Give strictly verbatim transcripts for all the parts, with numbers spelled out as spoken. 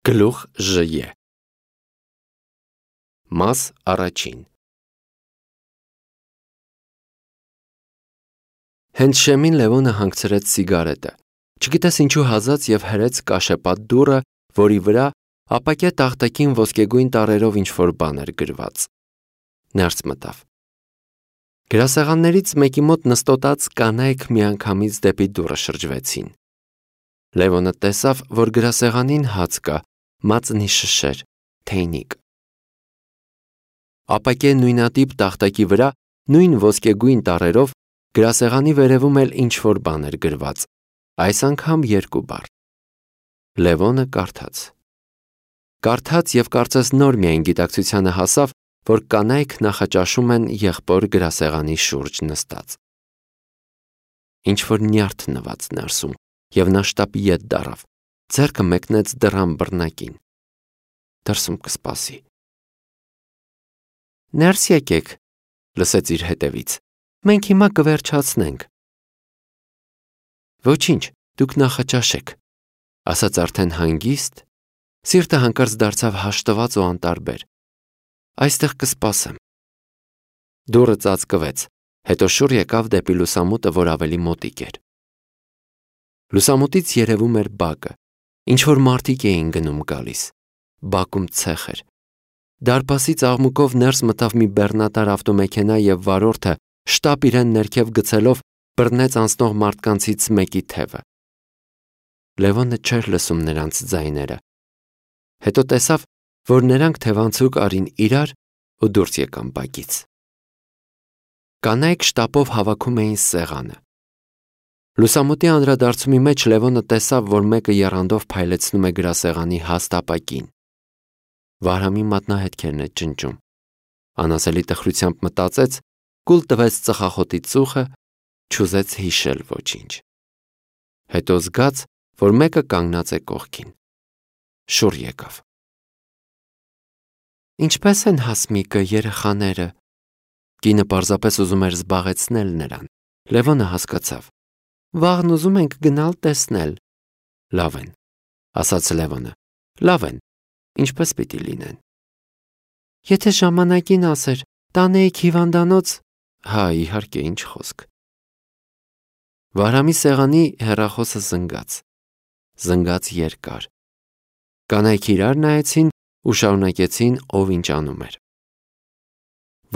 Գլուխ Ժ. Մաս առաջին. Հենց շեմին Լևոնը հանգցրեց սիգարետը, չգիտես ինչու հազած և հրեց կաշեպատ դուռը, որի վրա ապակյա տախտակին ոսկեգույն տառերով ինչ-որ բան էր գրված։ Ներս մտավ։ Գրասեղաններից մեկի մոտ նստոտած կանայք միանգամից դեպի դուռը շրջվեցին։ Լևոնը տեսավ, որ գրասեղանին հաց կա, մածնի շշեր, թեյնիկ։ Ապակե նույնատիպ տախտակի վրա նույն ոսկեգույն տառերով գրասեղանի վերևում էլ ինչ-որ բան էր գրված, այս անգամ երկու բառ։ Լևոնը կարդաց։ Կարդաց և կարծես նոր միայն գիտակցությանը հասավ, որ կանայք նախաճաշում են եղբոր գրասեղանի շուրջ նստած։ Ինչ-որ նյարդ նված ներսում, և նա շտապ ետ դառավ, ձեռքը մեկնեց դռան բռնակին։ Դրսում կսպասի։ Ներս եկեք, լսեց իր հետևից, մենք հիմա կվերջացնենք։ Ոչինչ, դուք նախաճաշեք, ասաց արդեն հանգիստ, սիրտը հանկարծ դարձավ հաշտված ու անտարբեր։ Այստեղ կսպասեմ։ Դուռը ծածկվեց, հետո շուռ եկավ դեպի լուսամուտը, որ ավելի մոտիկ էր։ Լուսամուտից երևում էր բակը, ինչ-որ մարդիկ էին գնում գալիս, բակում ցեխ էր։ Դարպասից աղմուկով ներս մտավ մի բեռնատար ավտոմեքենա և վարորդը, շտապ իրեն ներքև գցելով, բռնեց անցնող մարդկանցից մեկի թևը։ Լևոնը չէր լսում նրանց ձայները։ Հետո տեսավ, որ նրանք թևանցուկ արին իրար ու դուրս եկան բակից։ Կանայք շտապով հավաքում էին սեղանը։ Լուսամուտի անդրադարձումի մեջ Լևոնը տեսավ, որ մեկը եռանդով փայլեցնում է գրասեղանի հաստ ապակին։ Վահրամի մատնահետքերն է ճնճում։ Անասելի տխրությամբ մտածեց, կուլ տվեց ծխախոտի ծուխը, չուզեց հիշել ոչինչ։ Հետո զգաց, որ մեկը կանգնած է կողքին։ Շուռ եկավ։ Ինչպե՞ս են Հասմիկը, երեխաները։ Կինը պարզապես ուզում էր զբաղեցնել նրան։ Լևոնը հասկացավ։ Վաղն ուզում ենք գնալ տեսնել։ Լավ են, ասաց Լևոնը։ Լավ են, ինչպես պիտի լինեն։ Եթե ժամանակին ասեր, տանեիք հիվանդանոց, հա, իհարկե, ինչ խոսք։ Վահրամի սեղանի հեռախոսը զնգաց։ Զնգաց երկար։ Կանայք իրար նայեցին ու շարունակեցին, ով ինչ անում էր։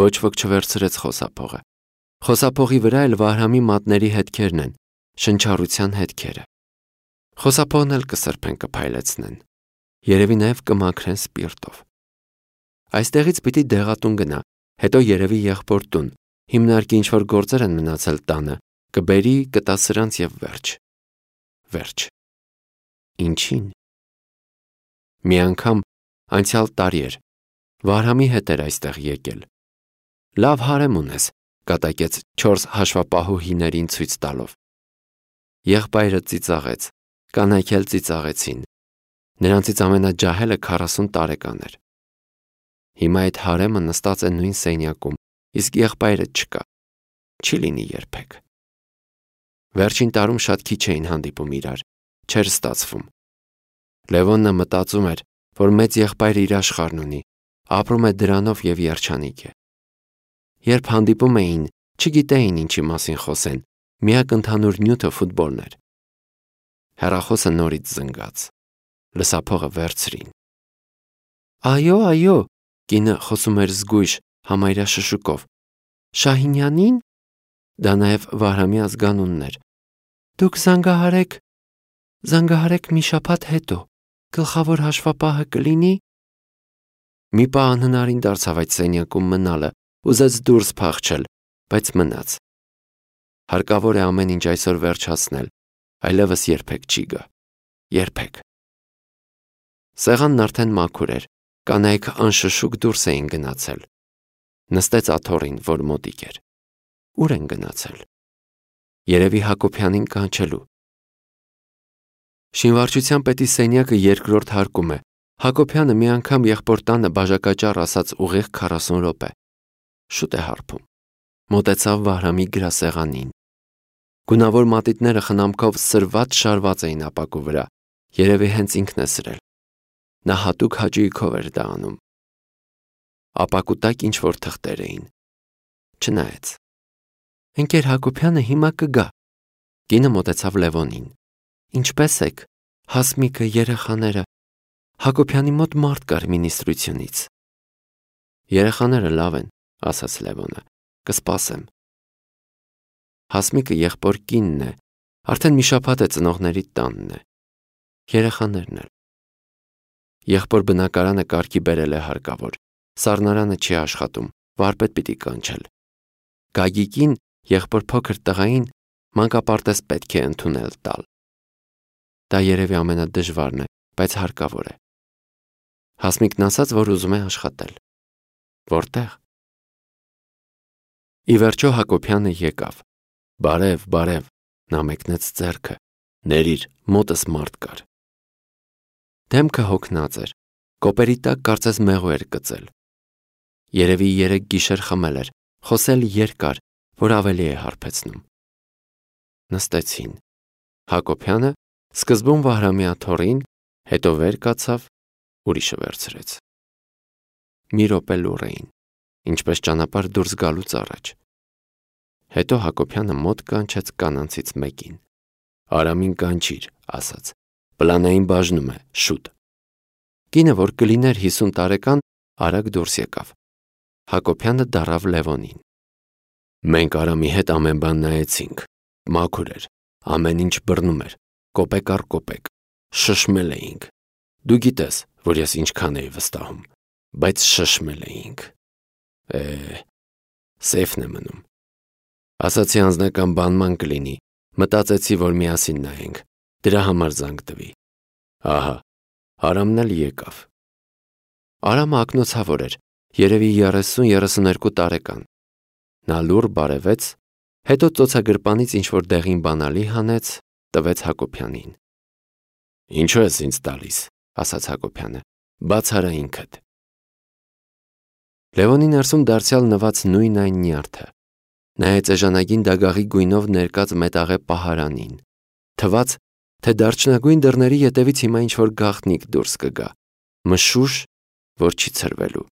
Ոչ ոք չվերցրեց խոսափողը։ Խոսափողի վրա էլ Վահրամի մատների հետքերն են, շնչառության հետքերը։ Խոսափողն էլ կսրբեն կփայլեցնեն։ Երևի նաև կմաքրեն սպիրտով։ Այստեղից պիտի դեղատուն գնա, հետո երևի եղբոր տուն, հիմնարկի ինչ-որ գործեր են մնացել տանը, կբերի, կտա սրանց և վերջ։ Վերջ։ Ինչին։ Մի անգամ անցյալ տարի էր, Վահրամի հետ էր այստեղ եկել։ Լավ հարեմ ունես, կատակեց չորս հաշվապահու հիներին ցույց տալով։ Եղբայրը ծիծաղեց, կանայք էլ ծիծաղեցին։ Նրանցից ամենաջահելը քառասուն տարեկան էր։ Հիմա այդ հարեմը նստած է նույն սենյակում, իսկ եղբայրը չկա, չի լինի երբեք։ Վերջին տարում շատ քիչ էին հանդիպում իրար, չէր ստացվում։ Լևոնը մտածում էր, որ մեծ եղբայրը իր աշխարհն ունի, ապրում է դրանով և երջանիկ է։ Երբ հանդիպում էին, չգիտեին ինչի մասին խոսեն, միակ ընդհանուր նյութը ֆուտբոլն էր։ Հեռախոսը նորից զնգաց։ Լսափողը վերցրին։ Այո, այո, կինը խոսում էր զգույշ, համարյա շշուկով։ Շահինյանին։ Դա նաև Վահրամի ազգանունն էր։ Դուք զանգահարեք, զանգահարեք մի շաբաթ հետո, գլխավոր հաշվապահը կլինի։ Մի պահ անհնարին դարձավ այդ սենյակում մնալը, ուզեց դուրս փախչել, բայց մնաց։ Հարկավոր է ամեն ինչ այսօր վերջացնել, այլևս երբեք չի գա։ Երբեք։ Սեղանն արդեն մաքուր էր, կանայք անշշուկ դուրս էին գնացել։ Նստեց աթոռին, որ մոտիկ էր։ Ուր են գնացել։ Երևի Հակոբյանին կանչելու։ Շինվարչության պետի սենյակը երկրորդ հարկում է։ Հակոբյանը մի անգամ եղբոր տանը բաժակաճառ ասաց ուղիղ քառասուն րոպե։ Շուտ է հարբում։ Մոտեցավ Վահրամի գրասեղանին։ Գունավոր մատիտները խնամքով սրված շարված էին ապակու վրա։ Երևի հենց ինքն է սրել։ նա հատուկ հաճույքով էր դա անում։ Ապակու տակ ինչ-որ թղթեր էին։ Չնայեց։ Ընկեր Հակոբյանը հիմա կգա։ Կինը մոտեցավ Լևոնին։ Ինչպե՞ս եք, Հասմիկը, երեխաները։ Հակոբյանի մոտ մարդ կար մինիստրությունից։ Երեխաները լավ են, ասաց Լևոնը, կսպասեմ։ Հասմիկը եղբոր կինն է, արդեն մի շաբաթ է ծնողների տանն է։ Երեխաներն էլ։ Եղբոր բնակարանը կարգի բերել է հարկավոր, սառնարանը չի աշխատում, վարպետ պիտի կանչել։ Գագիկին, եղբոր փոքր տղային, մանկապարտեզ պետք է ընդունել տալ։ Դա երևի ամենադժվարն է, բայց հարկավոր է։ Հասմիկն ասաց, որ ուզում է աշխատել։ Որտեղ։ Ի վերջո Հակոբյանը եկավ։ Բարև, բարև, նա մեկնեց ձեռքը։ Ներիր, մոտս մարդ կար։ Դեմքը հոգնած էր, կոպերի տակ կարծես մեղու էր գծել։ Երևի երեք գիշեր խմել էր, խոսել երկար, որ ավելի է հարբեցնում։ Նստեցին։ Հակոբյանը սկզբում Վահրամի աթոռին, հետո վեր կացավ, ուրիշը վերցրեց։ Մի րոպե լուռ էին, ինչպես ճանապարհ դուրս գալուց առաջ։ Հետո Հակոբյանը մոտ կանչեց կանանցից մեկին։ Արամին կանչիր, ասաց, պլանային բաժնում է, շուտ։ Կինը, որ կլիներ հիսուն տարեկան, արագ դուրս եկավ։ Հակոբյանը դառավ Լևոնին։ Մենք Արամի հետ ամեն բան նայեցինք, մաքուր էր, ամեն ինչ բռնում էր, կոպեկ առ կոպեկ, շշմել էինք։ Դու գիտես, որ ես ինչքան էի վստահում, բայց շշմել էինք։ Է, սեյֆն է մնում։ Ասացի անձնական բանման կլինի, մտածեցի, որ միասին նայենք, դրա համար զանգ տվի։ Ահա, Արամն էլ եկավ։ Արամը ակնոցավոր էր, երևի երեսուն-երեսուներկու տարեկան։ Նա լուռ բարևեց, հետո ծոցագրպանից ինչ-որ դեղին բանալի հանեց, տվեց Հակոբյանին։ Ինչու ես ինձ տալիս, ասաց Հակոբյանը, բաց արա ինքդ։ Լևոնի ներսում դարձյալ նված նույն այն նյարդը, նայեց էժանագին դագաղի գույնով ներկած մետաղե պահարանին, թվաց, թե դարչնագույն դռների ետևից հիմա ինչ-որ գաղտնիք դուրս կգա, մշուշ, որ չի ցրվելու։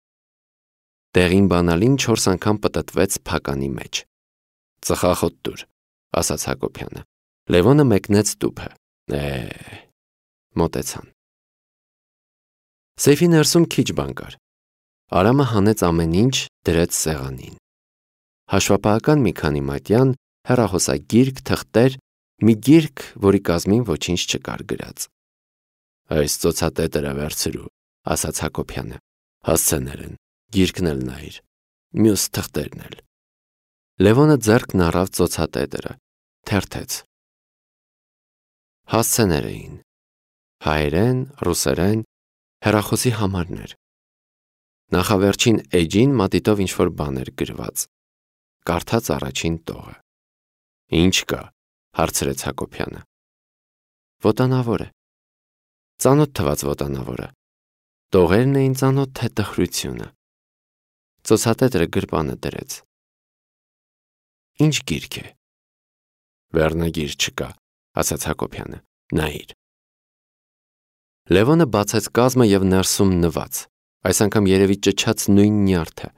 Դեղին բանալին չորս անգամ պտտվեց փականի մեջ։ Ծխախոտ տուր, ասաց Հակոբյանը։ Լևոնը մեկնեց տուփը։ Է, մոտեցան։ Սեյֆի ներսում քիչ բան կար։ Արամը հանեց ամեն ինչ, դրեց սեղանին։ Հաշվապահական մի քանի մատյան, հեռախոսագիրք, թղթեր, մի գիրք, որի կազմին ոչինչ չկար գրած։ Այս ծոցատետերը վերցրու, ասաց Հակոբյանը։ Հասցեներ են, գիրքն էլ նայիր, մյուս թղթերն էլ։ Լևոնը ձեռքն առավ ծոցատետերը, թերթեց։ Հասցեներ էին։ Հայերեն, ռուսերեն, հեռախոսի համարներ։ Նախավերջին էջին մատիտով ինչ-որ բան էր գրված։ Կարդաց առաջին տողը։ Ինչ կա, հարցրեց Հակոբյանը։ Վոտանավոր է։ Ծանոթ թվաց վոտանավորը։ Տողերն էին ծանոթ, թե տխրությունը։ Ծոցատետրը գրպանը դրեց։ Ինչ գիրք է։ Վերնագիր չկա, ասաց Հակոբյանը։ Նայիր։ Լևոնը բացեց կազմը և ներսում նված, այս անգամ երևի ճչաց նույն նյարդը։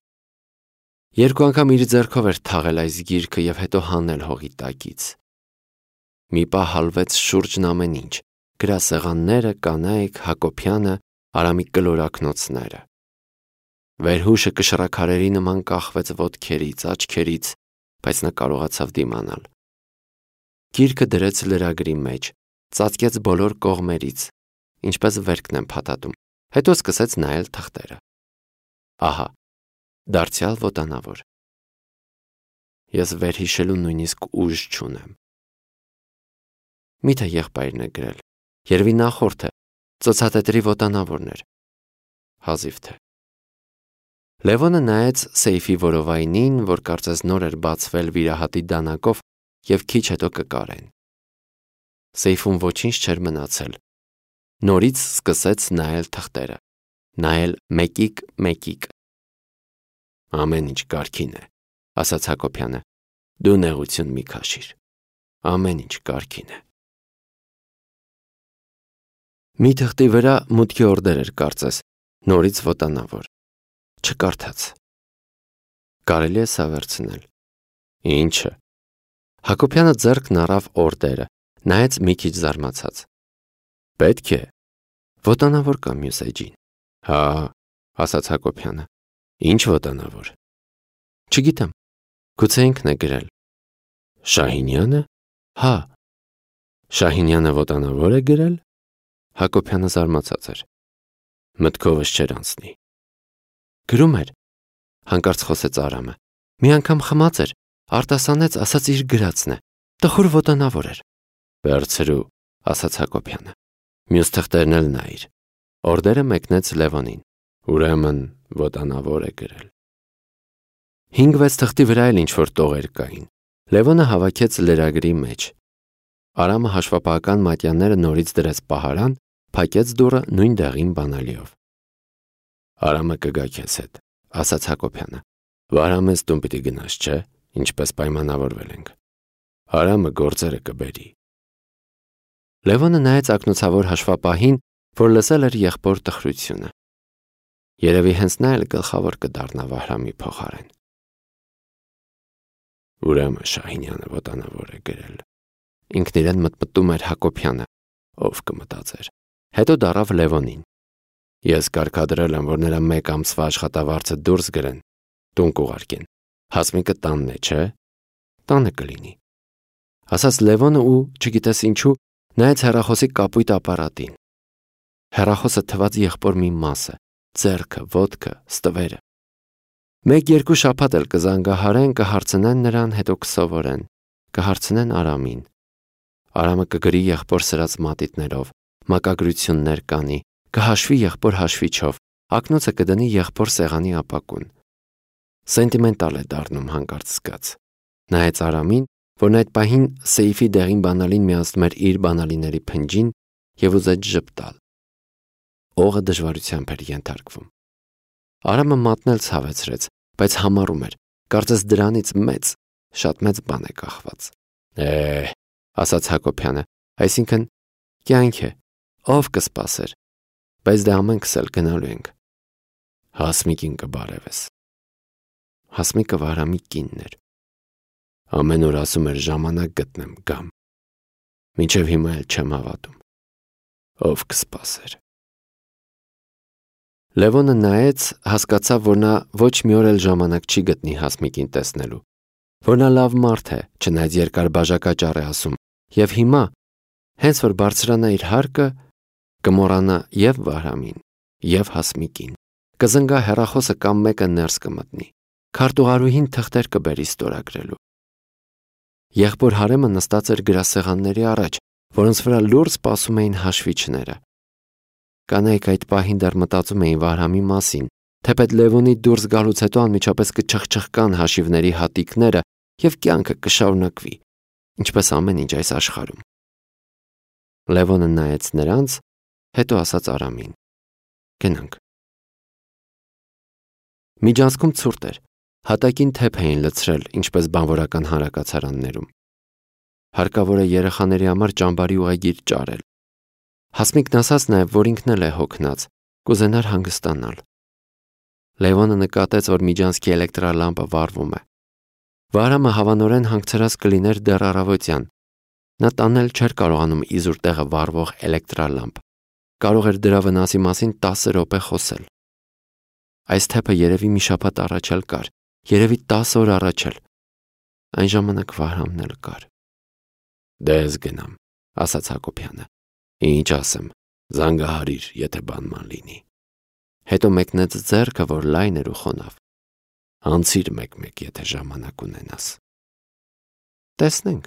Երկու անգամ իր ձեռքով էր թաղել այս գիրքը և հետո հանել հողի տակից։ Մի պահ հալվեց շուրջն ամեն ինչ, գրասեղանները, կանայք, Հակոբյանը, Արամի կլորակնոցները։ Վերհուշը կշռաքարերի նման կախվեց ոտքերից, աչքերից, բայց նա կարողացավ դիմանալ։ Գիրքը դրեց լրագրի մեջ, ծածկեց բոլոր կողմերից, ինչպես վերքն են փաթաթում, հետո սկսեց նայել թղթերը։ Ահա, դարձյալ վոտանավոր։ Ես վերհիշելու նույնիսկ ուժ չունեմ։ Միթե եղբայրն է գրել, երևի նախորդը, ծոցատետրի վոտանավորն էր։ Հազիվ թե։ Լևոնը նայեց սեյֆի որովայնին, որ կարծես նոր էր բացվել վիրահատի դանակով և քիչ հետո կկարեն։ Սեյֆում ոչինչ չէր մնացել։ Նորից սկսեց նայել թղթերը, նայել մեկիկ-մեկիկ։ Ամեն ինչ կարգին է, ասաց Հակոբյանը, դու նեղություն մի քաշիր, ամեն ինչ կարգին է։ Մի թղթի վրա մուտքի օրդեր էր կարծես, նորից ոտանավոր։ Չկարդաց։ Կարելի է սա վերցնել։ Ինչը։ Հակոբյանը ձեռքն առավ օրդերը, նայեց մի քիչ զարմացած։ Պետք է։ Ոտանավոր կա մյուս էջին։ Հա, ասաց Հակոբյանը։ Ինչ ոտանավոր։ Չգիտեմ։ Գուցե ինքն է գրել։ Շահինյանը։ Հա։ Շահինյանը ոտանավոր է գրել։ Հակոբյանը զարմացած էր։ Մտքովս չէր անցնի։ Գրում էր, հանկարծ խոսեց Արամը։ Մի անգամ խմած էր, արտասանեց, ասաց իր գրածն է։ Տխուր ոտանավոր էր։ Վերցրու, ասաց Հակոբյանը։ Մյուս թղթերն էլ նայիր։ Օրդերը մեկնեց Լևոնին։ Ուրեմն ոտանավոր է գրել։ Հինգ-վեց թղթի վրա էլ ինչ-որ տողեր կային։ Լևոնը հավաքեց լրագրի մեջ։ Արամը հաշվապահական մատյանները նորից դրեց պահարան, փակեց դուռը նույն դեղին բանալիով։ Արամը կգա քեզ հետ, ասաց Հակոբյանը։ Վարամես տուն պիտի գնաս, չէ՞, ինչպես պայմանավորվել ենք։ Արամը գործերը կբերի։ Լևոնը նայեց ակնոցավոր հաշվապահին, որ լսել էր եղբոր տխրությունը։ Երևի հենց նա էլ գլխավոր կդառնա Վահրամի փոխարեն։ Ուրեմն Շահինյանը ոտանավոր է գրել։ Ինքն իրեն մտմտում էր Հակոբյանը, ով կմտածեր։ Հետո դառավ Լևոնին։ Ես կարգադրել եմ, որ նրա մեկ ամսվա աշխատավարձը դուրս գրեն, տուն կուղարկեն։ Հասմիկը տանն է, չէ՞։ Տանը կլինի։ Ասաց Լևոնը ու, չգիտես ինչու, նայեց հեռախոսի կապույտ ապարատին։ Հեռախոսը թված եղբոր մի մասը, ձեռքը, ոտքը, ստվերը։ Մեկ-երկու շաբաթ էլ կզանգահարեն, կհարցնեն նրան, հետո կսովորեն, կհարցնեն Արամին։ Արամը կգրի եղբոր սրած մատիտներով, մակագրություններ կանի, կհաշվի եղբոր հաշվիչով, ակնոցը կդնի եղբոր սեղանի ապակուն։ Սենտիմենտալ է դառնում հանկարծ զգաց։ Նայեց Արամին, որն այդ պահին սեյֆի դեղին բանալին միացնում էր իր բանալիների փնջին և ուզեց ժպտալ։ Օղը դժվարությամբ էր ենթարկվում։ Արամը մատն էլ ցավեցրեց, բայց համառում էր, կարծես դրանից մեծ, շատ մեծ բան է կախված։ Է, ասաց Հակոբյանը, այսինքն կյանք է, ով կսպասեր, բայց դե ամենքս էլ գնալու ենք։ Հասմիկին կբարևես։ Հասմիկը Վահրամի կինն էր։ Ամեն օր ասում էր ժամանակ գտնեմ գամ։ Մինչև հիմա էլ չեմ հավատում։ Ով կսպասեր։ Լևոնը նայեց, հասկացավ, որ նա ոչ մի օր էլ ժամանակ չի գտնի Հասմիկին տեսնելու, որ նա լավ մարդ է, չնայած երկար բաժակաճառ է ասում, և հիմա, հենց որ բարձրանա իր հարկը, կմոռանա և Վահրամին, և Հասմիկին, կզնգա հեռախոսը կամ մեկը ներս կմտնի, քարտուղարուհին թղթեր կբերի ստորագրելու։ Եղբոր հարեմը նստած էր գրասեղանների առաջ, որոնց վրա լուռ սպասում էին հաշվիչները։ Կանայք այդ պահին դեռ մտածում էին Վահրամի մասին, թեպետ Լևոնի դուրս գալուց հետո անմիջապես կչխչխկան հաշիվների հատիկները և կյանքը կշարունակվի, ինչպես ամեն ինչ այս աշխարհում։ Լևոնը նայեց նրանց, հետո ասաց Արամին. Գնանք։ Միջանցքում ցուրտ էր, հատակին թեփ էին լցրել, ինչպես բանվորական հանրակացարաններում։ Հարկավոր է երեխաների համար ճամբարի ուղեգիր ճարել։ Հասմիկն ասաց նաև, որ ինքն էլ է հոգնած, կուզենար հանգստանալ։ Լևոնը նկատեց, որ միջանցքի էլեկտրալամպը վառվում է։ Վահրամը հավանորեն հանգցրած կլիներ դեռ առավոտյան։ Նա տանել չէր կարողանում իզուր տեղը վառվող էլեկտրալամպ։ Կարող էր դրա վնասի մասին տասը րոպե խոսել։ Այս թեփը երևի մի շաբաթ առաջ էլ կար, երևի տասը օր առաջ էլ։ Այն ժամանակ Վահրամն էլ կար։ Դե ես գնամ, ասաց Հակոբյանը։ Ինչ ասեմ, զանգահարիր, եթե բանման լինի։ Հետո մեկնեց ձեռքը, որ լայն էր ու խոնավ։ Անցիր մեկ-մեկ, եթե ժամանակ ունենաս։ Տեսնենք։